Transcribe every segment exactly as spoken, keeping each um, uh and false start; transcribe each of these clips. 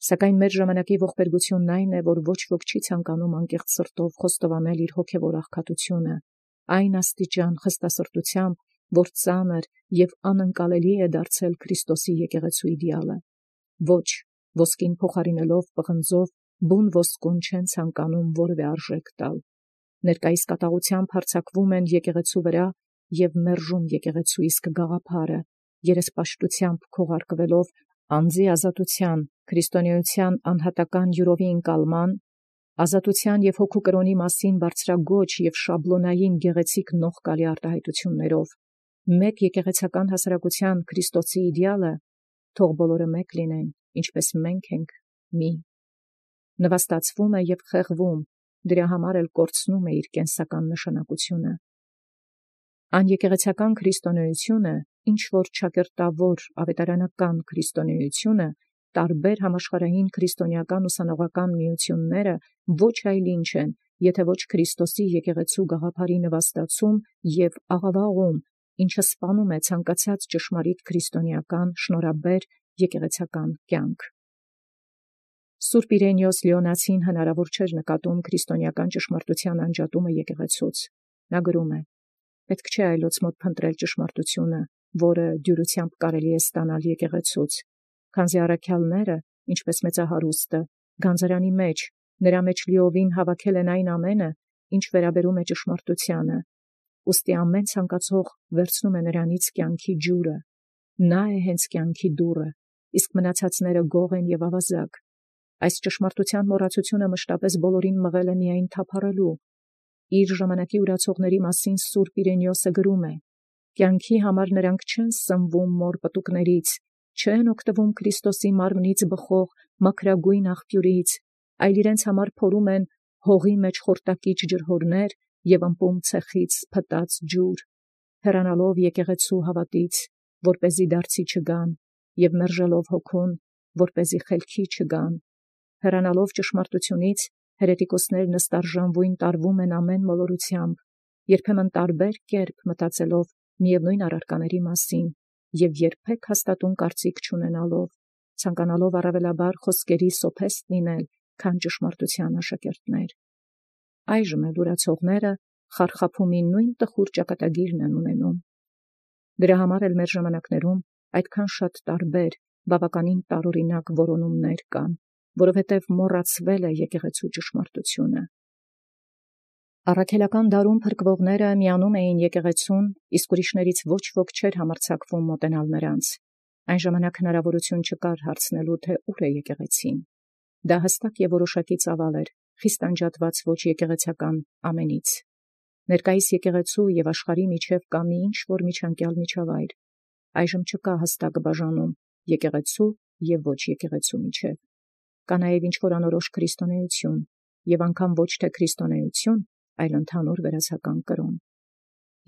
Սակայն մեր ժամանակի ողբերգությունն այն է, որ ոչ ոք չի ցանկանում անկեղծ սրտով խոստովանել իր հոգևոր աղքատությունը, այն աստիճան խստասրտությամբ, որ ծանր և անընկալելի է դարձել Քրիստոսի եկեղեցու իդեալը։ Ոչ, ոսկին փոխարինելով պղնձով, բուն ոսկուն չեն ցանկանում որևէ արժեք տալ։ Ներկայիս կատաղությամբ հարձակվում են եկեղեցու վրա և մերժում եկեղեցու իսկ գաղափարը, երեսպաշտությամբ քողարկվելով անձի ազատության, քրիստոնեության անհատական յուրովի ընկալման, ազատության և հոգու կրոնի մասին բարձրագոյն և շաբլոնային գեղեցիկ նողկալի արտահայտություններով, մեկ եկեղեցական հասարակության Քրիստոսի իդեալը, թող բոլորը մեկ լինեն, ինչպես մենք ենք մի, նվաստացվում է և խեղվում, դրա համար էլ կորցնում է իր կենսական նշանակությունը։ Անեկեղեցական քրիստոնեությունը, ինչ որ ճակերտավոր ավետարանական քրիստոնեությունը, տարբեր համաշխարհային քրիստոնեական ուսանողական միությունները ոչ այլ ինչ են, եթե ոչ Քրիստոսի եկեղեցու գաղափարի նվաստացում և աղավաղում, ինչը սպանում է ցանկացած ճշմարիտ քրիստոնեական շնորհաբեր եկեղեցական կյանք։ Սուրբ Իրենիոս Լեոնացին հնարավոր չէր նկատում քրիստոնեական ճշմարտության անջատումը եկեղեցուց։ Նա գրում է. «Պետք չէ այլոց մոտ փնտրել ճշմարտությունը, որը դյուրությամբ կարելի է ստանալ եկեղեցուց, քանզի առաքյալները, ինչպես մեծահարուստը, գանձարանի մեջ, նրա մեջ լիովին հավաքել են այն ամենը, ինչ վերաբերում է ճշմարտությանը, ուստի ամեն ցանկացող վերցնում է նրանից կյանքի ջուրը, նա է հենց կյանքի դուռը, իսկ մնացածները գող են և ավազակ։ Այս ճշմարտության մոռացությունը մշտապես բոլորին մղել է միայն թափառելու։ Իր ժամանակի ուրացողների մասին Սուրբ Իրենիոսը գրում է. «Կյանքի համար նրանք չեն սնվում մոր պտուկներից, չեն օգտվում Քրիստոսի մարմնից բխող մաքրագույն աղբյուրից, այլ իրենց համար փորում են հողի մեջ խորտակիչ ջրհորներ և ըմպում ցեխից փտած ջուր, հեռանալով եկեղեցու հավատից, որպեսզի դարձի չգան, և մերժելով հոգուն, որպեսզի խելքի չգան, հեռանալով ճշմարտությունից, հերետիկոսներն ըստարժանվույն տարվում են ամեն մոլորությամբ, երբեմն տարբեր կերպ մտածելով միևնույն առարկաների մասին և երբեք հաստատուն կարծիք չունենալով, ցանկանալով առավելաբար խոսքերի սոփեստ լինել, քան ճշմարտության աշակերտներ։ Այժմ էլ ուրացողները խարխափումի նույն տխուր ճակատագիրն են ունենում։ Դրա համար էլ մեր ժամանակներում այդքան շատ տարբեր, բավականին տարօրինակ որոնումներ կան, որովհետև մոռացվել է եկեղեցու ճշմարտությունը։ Առաքելական դարում փրկվողները միանում էին եկեղեցուն, իսկ ուրիշներից ոչ ոք չէր համարձակվում մոտենալ նրանց։ Այն ժամանակ հնարավորություն չկար հարցնելու, թե ուր է եկեղեցին։ Դա հստակ և որոշակի ծավալ էր, խիստ անջատված ոչ եկեղեցական ամենից։ Ներկայիս եկեղեցու և աշխարհի միջև կա մի ինչ-որ միջանկյալ միջավայր։ Այժմ չկա հստակ բաժանում եկեղեցու և ոչ եկեղեցու միջև։ Կա նաև ինչ-որ անորոշ քրիստոնեություն, և անգամ ոչ թե քրիստոնեություն, այլ ընդհանուր վերացական կրոն։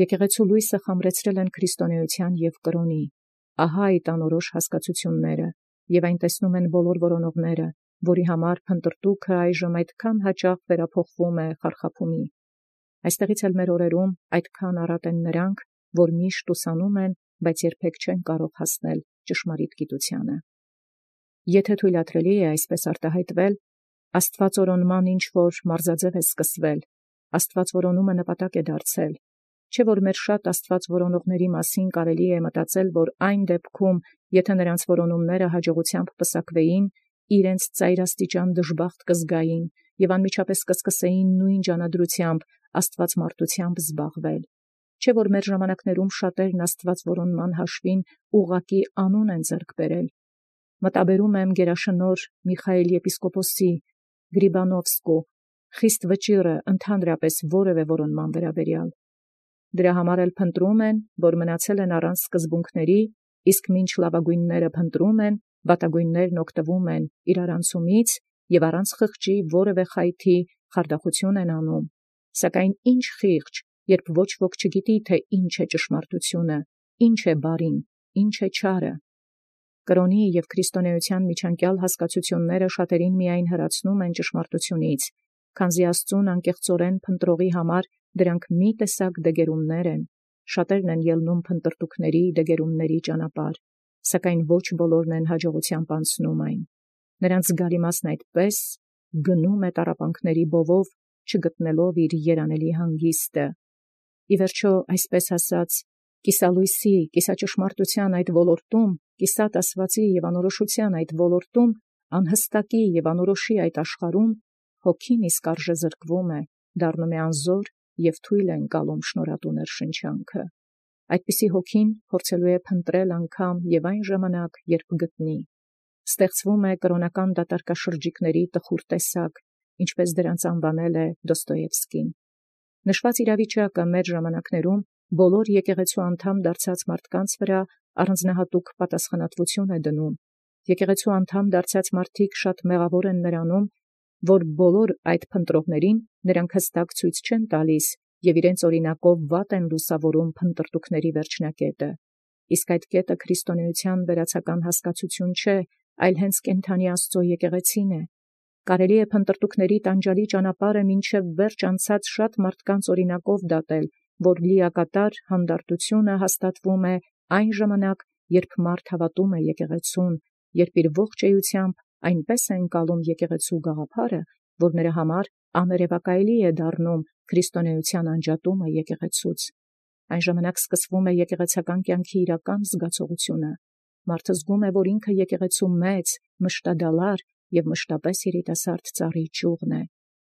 Եկեղեցու լույսը խամրեցրել են քրիստոնեության և կրոնի։ Ահա այդ անորոշ հասկացությունները, և այն տեսնում են բոլոր որոնողները, որի համար փնտրտուքը այժմ այդքան հաճախ վերափոխվում է խարխափումի։ Այստեղից էլ մեր օրերում այդքան առատ են նրանք, որ միշտ ուսանում են, բայց երբեք չեն կարող հասնել ճշմարիտ գիտությանը։ Եթե թույլատրելի է այսպես արտահայտվել, Աստվածօրոնման ինչ-որ մարզաձև է սկսվել, Աստվածորոնումը նպատակ է դարձել, չէ՞ որ մեր շատ Աստված որոնողների մասին կարելի է մտածել, որ այն դեպքում, եթե նրանց որոնումները հաջողությամբ պսակվեին, իրենց ծայրաստիճան դժբախտ կզգային և անմիջապես կսկսեին նույն ջանադրությամբ աստվածմարտությամբ զբաղվել։ Չէ՞ որ մեր ժամանակներում շատերն Աստվածորոնման հաշվին ուղղակի անուն են ձեռք բերել։ Մտաբերում եմ գերաշնորհ Միխայիլ եպիսկոպոսի Գրիբանովսկու խիստ վճիռը ընդհանրապես որևէ որոնման վերաբերյալ։ Դրա համար էլ փնտրում են, որ մնացել են առանց սկզբունքների, իսկ մինչ լավագույնները փնտրում են, վատագույններն օգտվում են իրարանցումից և առանց խղճի որևէ խայթի խարդախություն են անում։ Սակայն ինչ խիղճ, երբ ոչ ոք չգիտի, թե ինչ է ճշմարտությունը, ինչ է բարին, ինչ է չարը։ Կրոնի և քրիստոնեության միջանկյալ հասկացությունները շատերին միայն հեռացնում են ճշմարտությունից, քանզի Աստծուն անկեղծորեն փնտրողի համար դրանք մի տեսակ դեգերումներ են, շատերն են ելնում փնտրտուքների, դեգերումների ճանապարհ, սակայն ոչ բոլորն են հաջողությամբ անցնում այն։ Նրանց զգալի մասն այդպես գնում է տառապանքների բովով, չգտնելով իր երանելի հանգիստը։ Ի վերջո, այսպես ասած, կիսալույսի, կիսաճշմարտության այդ ոլորտում, կիսատ ասվածի և անորոշության այդ ոլորտում, անհստակի և անորոշի այդ աշխարհում, հոգին իսկ արժե զրկվում է, դառնում է անզոր և թույլ է ընկալում շնորհատու ներշնչանքը։ Այդպիսի հոգին փորձելու է փնտրել անգամ և այն ժամանակ, երբ գտնի։ Ստեղծվում է կրոնական դատարկաշրջիկների տխուր տեսակ, ինչպես դրանց անվանել է Դոստոևսկին։ Նշված իրավիճակը մեր ժամանակներում բոլոր եկեղեցու անդամ դարձած մարդկանց վրա առանձնահատուկ պատասխանատվություն է դնում։ Եկեղեցու անդամ դարձած մարդիկ շատ մեղավոր են նրանում, որ բոլոր այդ փնտրողներին նրանք հստակ ցույց չեն տալիս և իրենց օրինակով վատ են լուսավորում փնտրտուքների վերջնակետը։ Իսկ այդ կետը քրիստոնեության վերացական հասկացություն չէ, այլ հենց կենդանի Աստծո եկեղեցին է։ Կարելի է փնտրտուքների տանջալի ճանապարհը մինչև վերջ անցած շատ մարդկանց օրինակով դատել, որ լիակատար հանդարտությունը հաստատվում է այն ժամանակ, երբ մարդ հավատում է եկեղեցուն, երբ իր ողջ էությամբ այնպես է ընկալում եկեղեցու գաղափարը, որ նրա համար աներևակայելի է դառնում քրիստոնեության անջատումը եկեղեցուց։ Այն ժամանակ սկսվում է եկեղեցական կյանքի իրական զգացողությունը։ Մարդը զգում է, որ ինքը եկեղեցու մեծ, մշտադալար և մշտապես երիտասարդ ծառի ճյուղն է։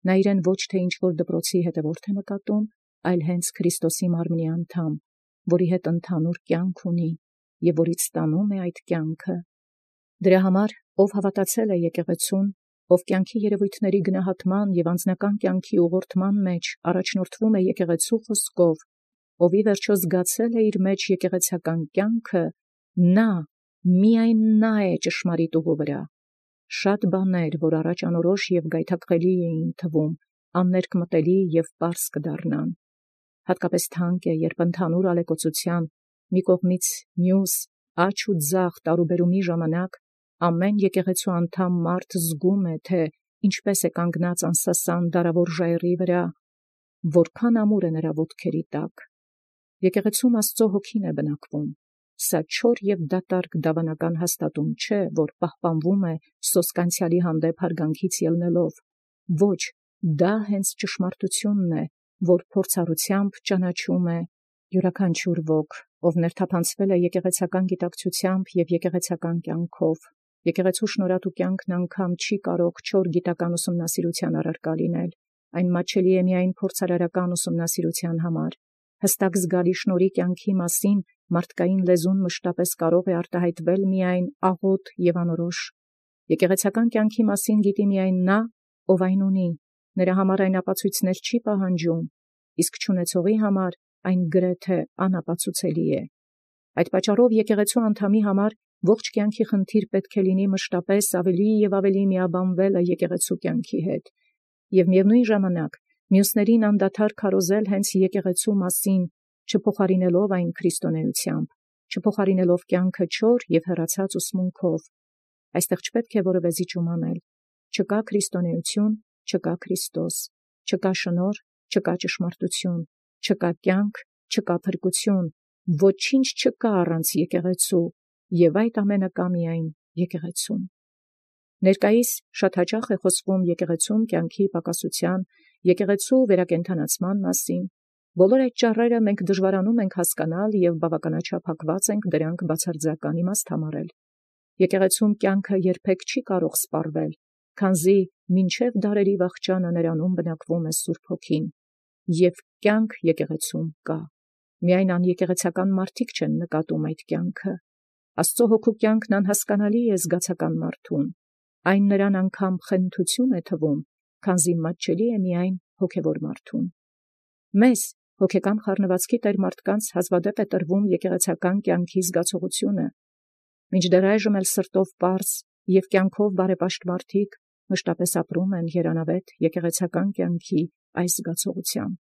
Նա իրեն ոչ թե ինչ-որ դպրոցի հետևորդ է նկատում, այլ հենց Քրիստոսի մարմնի անդամ, որի հետ ընդհանուր կյանք ունի և որից ստանում է այդ կյանքը։ Դրա համար, ով հավատացել է եկեղեցուն, ով կյանքի երևույթների գնահատման և անձնական կյանքի ուղղորդման մեջ առաջնորդվում է եկեղեցու խոսքով, ով ի վերջո զգացել է իր մեջ եկեղեցական կյանքը, նա, միայն նա է ճշմարիտ ուղու վրա։ Շատ բաներ, որ առաջ անորոշ և գայթակղելի էին թվում, աններկմտելի և պարզ կդառնան։ Հատկապես թանկ է, երբ ընդհանուր ալեկոծության մի կողմից մյուս աջ ու ձախ տարուբերումի ժամանակ ամեն եկեղեցու անդամ մարդ զգում է, թե ինչպես է կանգնած անսասան դարավոր ժայռի վրա, որքան ամուր է նրա ոտքերի տակ։ Եկեղեցում Աստծո հոգին է բնակվում։ Սա չոր և դատարկ դավանական հաստատում չէ, որ պահպանվում է սոսկանցիալի հանդեպ հարգանքից ելնելով։ Ոչ, դա հենց ճշմարտությունն է, որ փորձառությամբ ճանաչում է յուրաքանչյուր ոք, ով ներթափանցվել է եկեղեցական գիտակցությամբ և եկեղեցական կյանքով։ Եկեղեցու շնորհատու կյանքն անգամ չի կարող չոր գիտական ուսումնասիրության առարկա լինել, այն մատչելի է միայն փորձարարական ուսումնասիրության համար։ Հստակ զգալի շնորհի կյանքի մասին մարդկային լեզուն մշտապես կարող է արտահայտվել միայն աղոտ և անորոշ։ Եկեղեցական կյանքի մասին գիտի միայն նա, ով այն ունի, նրա համար այն ապացույցներ չի պահանջում, իսկ չունեցողի համար այն գրեթե անապացուցելի է։ Այդ պատճառով եկեղեցու անդամի համար ողջ կյանքի խնդիր պետք է լինի մշտապես ավելի և ավելի միաբանվելը եկեղեցու կյանքի հետ, և միևնույն ժամանակ մյուսներին անդադար քարոզել հենց եկեղեցու մասին, չփոխարինելով այն քրիստոնեությամբ, չփոխարինելով կյանքը չոր և հեռացած ուսմունքով։ Այստեղ չպետք է որևէ զիջում անել։ Չկա քրիստոնեություն, չկա Քրիստոս, չկա շնորհ, չկա ճշմարտություն, չկա կյանք, չկա փրկություն, ոչինչ չկա առանց եկեղեցու, և այդ ամենը կա միայն եկեղեցում։ Ներկայիս շատ հաճախ է խոսվում եկեղեցում կյանքի պակասության, եկեղեցու վերակենդանացման մասին։ Բոլոր այդ ճառերը մենք դժվարանում ենք հասկանալ և բավականաչափ հակված ենք դրանք բացարձական իմաստ համարել։ Եկեղեցում կյանքը երբեք չի կարող սպառվել, քանզի մինչև դարերի վախճանը նրանում բնակվում է Սուրբ Հոգին, և կյանք եկեղեցում կա։ Միայն անեկեղեցական մարդիկ չեն նկատում այդ կյանքը։ Աստծո Հոգու կյանքն անհասկանալի է զգացական մարդուն։ Այն նրան անգամ խենթություն է թվում, քանզի մատչելի է միայն հոգևոր մարդուն։ Մեզ, հոգեկան խառնվածքի տեր մարդկանց, հազվադեպ է տրվում եկեղեցական կյանքի զգացողությունը։ Մինչդեռ այժմ էլ սրտով պարզ և կյանքով բարեպաշտ մարդիկ մշտապես ապրում են երանավետ եկեղեցական կյանքի այս զգացողությամբ։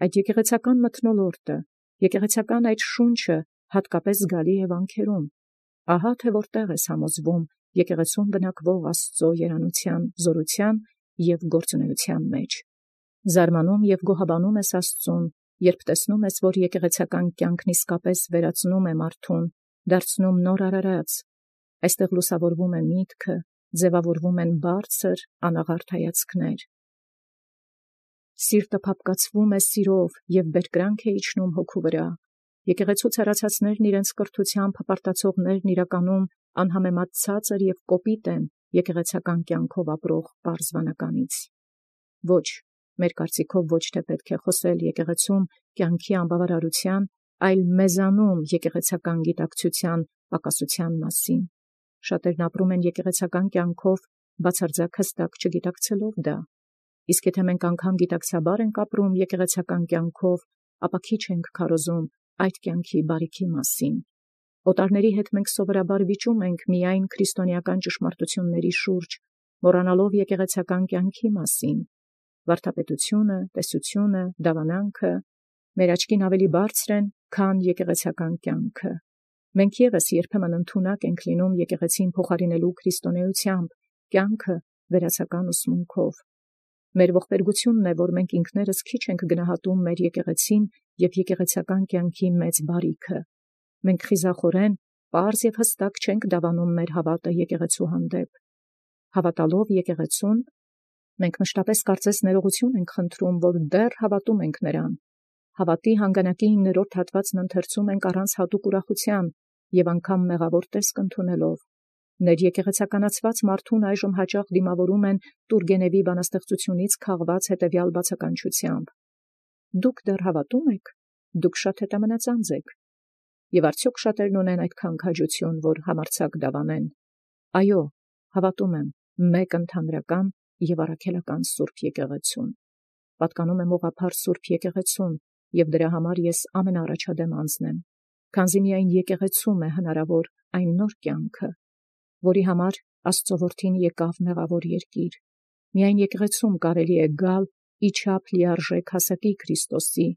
Այդ եկեղեցական մթնոլորտը, եկեղեցական այդ շունչը հատկապես զգալի է վանքերում։ Ահա թե որտեղ ես համոզվում եկեղեցում բնակվող Աստծո երանության, զորության և գործունեության մեջ։ Զարմանում և գոհաբանում ես Աստծուն, երբ տեսնում ես, որ եկեղեցական կյանքն իսկապես վերածնում է մարդուն, դարձնում նոր արարած։ Այստեղ լուսավորվում է միտքը, ձևավորվում են բարձր անաղարտ հայացքներ։ Սիրտը փափկացվում է սիրով և բերկրանք է իջնում հոգու վրա։ Եկեղեցու ցարացածներն իրենց կրթությամբ հպարտացողներն իրականում անհամեմատ ցածր և կոպիտ են եկեղեցական կյանքով ապրող պարզ վանականից։ Ոչ, մեր կարծիքով ոչ թե պետք է խոսել եկեղեցում կյանքի անբավարարության, այլ մեզանում եկեղեցական գիտակցության պակասության մասին։ Շատերն ապրում են եկեղեցական կյանքով բացարձակ հստակ չգիտակցելով դա։ Իսկ եթե մենք անգամ գիտակցաբար ենք ապրում եկեղեցական կյանքով, ապա քիչ ենք քարոզում այդ կյանքի բարիքի մասին։ Օտարների հետ մենք սովորաբար վիճում ենք միայն քրիստոնեական ճշմարտությունների շուրջ, մոռանալով եկեղեցական կյանքի մասին։ Վարդապետությունը, տեսությունը, դավանանքը մեր աչքին ավելի բարձր են, քան եկեղեցական կյանքը։ Մենք ևս երբեմն ընդունակ ենք լինում եկեղեցին փոխարինելու քրիստոնեությամբ, կյանքը վերացական ուսմունքով։ Մեր ողբերգությունն է, որ մենք ինքներս քիչ ենք գնահատում մեր եկեղեցին և եկեղեցական կյանքի մեծ բարիքը։ Մենք խիզախորեն, պարզ և հստակ չենք դավանում մեր հավատը եկեղեցու հանդեպ։ Հավատալով եկեղեցուն, մենք մշտապես կարծես ներողություն ենք խնդրում, որ դեռ հավատում ենք նրան։ Հավատի հանգանակի իններորդ հատվածն ընթերցում ենք առանց հատուկ ուրախության և անգամ մեղավոր տեսք ընդունելով։ Ներեկեղեցականացված մարդուն այժմ հաճախ դիմավորում են Տուրգենևի բանաստեղծությունից քաղված հետևյալ բացականչությամբ. «Դուք դեռ հավատում եք, դուք շատ հետամնացած եք»։ Եվ արդյոք շատերն ունեն այդքան քաջություն, որ համարձակ դավանեն։ Այո, հավատում եմ մեկ ընդհանրական և առաքելական Սուրբ եկեղեցուն։ Պատկանում եմ ուղղափառ Սուրբ եկեղեցուն, և դրա համար ես ամենաառաջադեմ անձն եմ, քանզի միայն եկեղեցում է հնարավոր այն նոր կյանքը, որի համար Աստծո որդին եկավ մեղավոր երկիր։ Միայն եկեղեցում կարելի է գալ իչափ լիարժեք հասակի Քրիստոսի։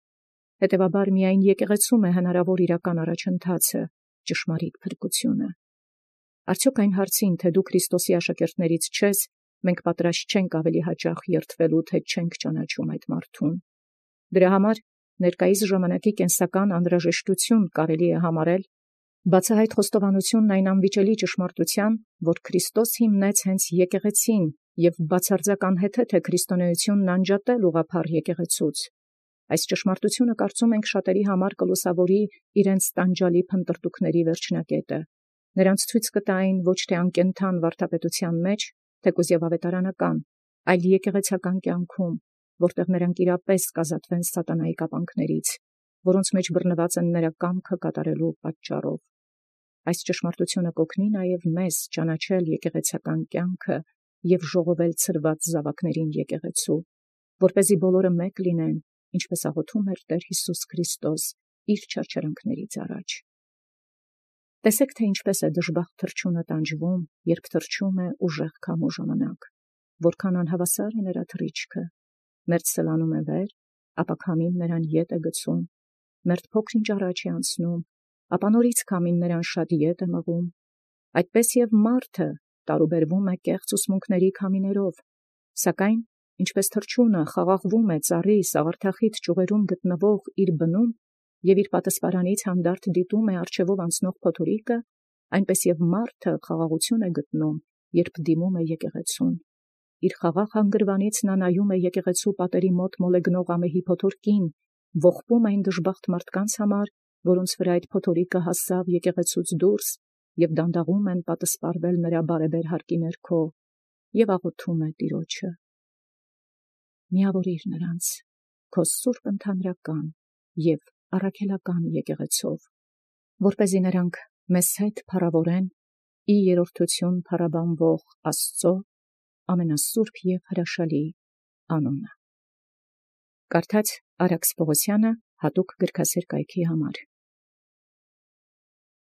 Հետևաբար միայն եկեղեցում է հնարավոր իրական առաջընթացը, ճշմարիտ փրկությունը։ Արդյոք այն հարցին, թե դու Քրիստոսի աշակերտներից չես, մենք պատրաստ չենք ավելի հաճախ երդվելու, թե չենք ճանաչում այդ մարդուն։ Դրա համար ներկայիս ժամանակի կենսական անհրաժեշտություն կարելի է համարել բացահայտ խոստովանությունն այն անվիճելի ճշմարտության, որ Քրիստոս հիմնեց հենց եկեղեցին և բացարձակ անհեթեթ է քրիստոնեությունն անջատել ուղղափառ եկեղեցուց։ Այս ճշմարտությունը կարծում ենք շատերի համար կլուսավորի իրենց տանջալի փնտրտուքների վերջնակետը։ Նրանց ցույց կտա այն ոչ թե անկենդան վարդապետության մեջ, թեկուզ և ավետարանական, այլ եկեղեցական կյանքում, որտեղ նրանք իրապես կազատվեն սատանայի կապանքներից, որոնց մեջ բռնված են նրա կամքը կատարելու պատճառով։ Այս ճշմարտությունը կօգնի նաև մեզ ճանաչել եկեղեցական կյանքը և ժողովել ցրված զավակներին եկեղեցու, որպեսզի բոլորը մեկ լինեն, ինչպես աղոթում էր Տեր Հիսուս Քրիստոս իր չարչարանքներից առաջ։ Տեսեք, թե ինչպես է դժբախտ թռչունը տանջվում, երբ թռչում է ուժեղ քամու ժամանակ, որքան անհավասար է նրա թռիչքը։ Մերթ սլանում է վեր, ապա քամին նրան ետ է գցում, մերթ փոքր-ինչ առաջ է անցնում, ապա նորից քամին նրան շատ ետ է մղում։ Այդպես և մարդը տարուբերվում է կեղծ ուսմունքների քամիներով, սակայն ինչպես թռչունը խաղաղվում է ծառի սաղարթախիտ ճյուղերում գտնվող իր բնում և իր պատսպարանից հանդարտ դիտում է առջևով անցնող փոթորիկը, այնպես և մարդը խաղաղություն է գտնում, երբ դիմում է եկեղեցուն։ Իր խաղաղ հանգրվանից նա նայում է եկեղեցու պատերի մոտ մոլեգնող ամեհի փոթորկին, ողբում այն դժբախտ մարդկանց համար, որոնց վրա այդ փոթորիկը հասավ եկեղեցուց դուրս, և դանդաղում են պատսպարվել նրա բարեբեր հարկի ներքո, և աղոթում է Տիրոջը. միավորիր նրանց քո սուրբ ընդհանրական և առաքելական եկեղեցով, որպեսզի նրանք մեզ հետ փառավորեն ի երրորդություն փառաբանվող Աստծո ամենասուրբ և հրաշալի անունը։ Կարդաց Արաքս Պողոսյանը հատուկ գրքասեր կայքի համար։